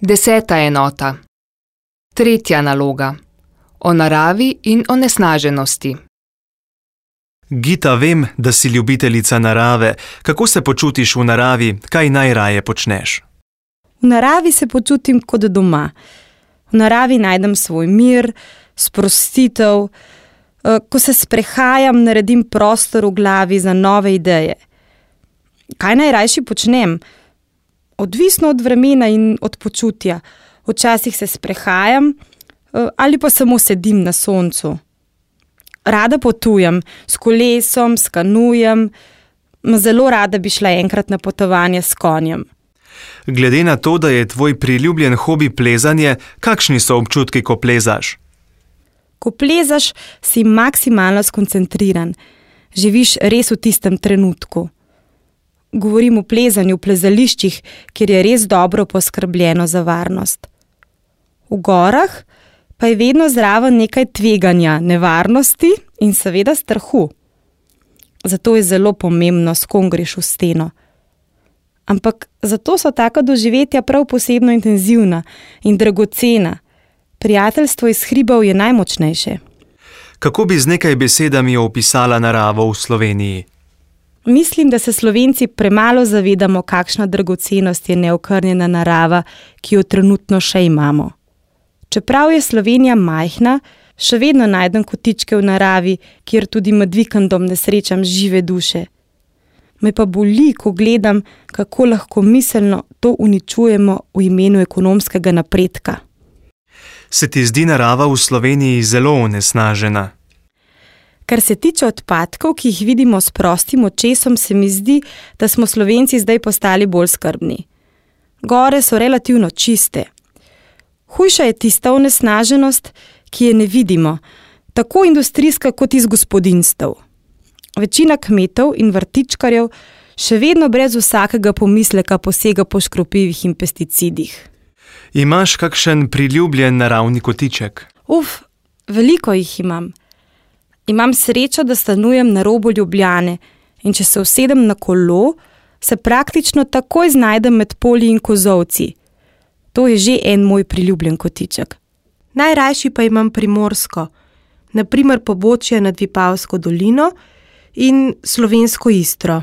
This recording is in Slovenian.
10. enota. 3. naloga. O naravi in onesnaženosti. Gita, vem, da si ljubiteljica narave. Kako se počutiš v naravi, kaj najraje počneš? V naravi se počutim kot doma. V naravi najdem svoj mir, sprostitev. Ko se sprehajam, naredim prostor v glavi za nove ideje. Kaj najrajši počnem? Odvisno od vremena in od počutja. Včasih se sprehajam ali pa samo sedim na soncu. Rada potujem, s kolesom, s kanujem. Zelo rada bi šla enkrat na potovanje s konjem. Glede na to, da je tvoj priljubljen hobi plezanje, kakšni so občutki, ko plezaš? Ko plezaš, si maksimalno skoncentriran. Živiš res v tistem trenutku. Govorim o plezanju v plezališčih, kjer je res dobro poskrbljeno za varnost. V gorah pa je vedno zraven nekaj tveganja, nevarnosti in seveda strahu. Zato je zelo pomembno, s kom greš v steno. Ampak zato so taka doživetja prav posebno intenzivna in dragocena. Prijateljstvo iz hribov je najmočnejše. Kako bi z nekaj besedami opisala naravo v Sloveniji? Mislim, da se Slovenci premalo zavedamo, kakšna dragocenost je neokrnjena narava, ki jo trenutno še imamo. Čeprav je Slovenija majhna, še vedno najdem kotičke v naravi, kjer tudi med vikendom ne srečam žive duše. Me pa boli, ko gledam, kako lahko miselno to uničujemo v imenu ekonomskega napredka. Se ti zdi narava v Sloveniji zelo onesnažena? Kar se tiče odpadkov, ki jih vidimo s prostim očesom, se mi zdi, da smo Slovenci zdaj postali bolj skrbni. Gore so relativno čiste. Hujša je tista onesnaženost, ki je ne vidimo, tako industrijska kot iz gospodinjstev. Večina kmetov in vrtičkarjev še vedno brez vsakega pomisleka posega po škropivih in pesticidih. Imaš kakšen priljubljen naravni kotiček? Veliko jih imam. Imam srečo, da stanujem na robu Ljubljane in če se usedem na kolo, se praktično takoj znajdem med polji in kozolci. To je že en moj priljubljen kotiček. Najrajši pa imam Primorsko, na primer Pobočje nad Vipavsko dolino in Slovensko Istro.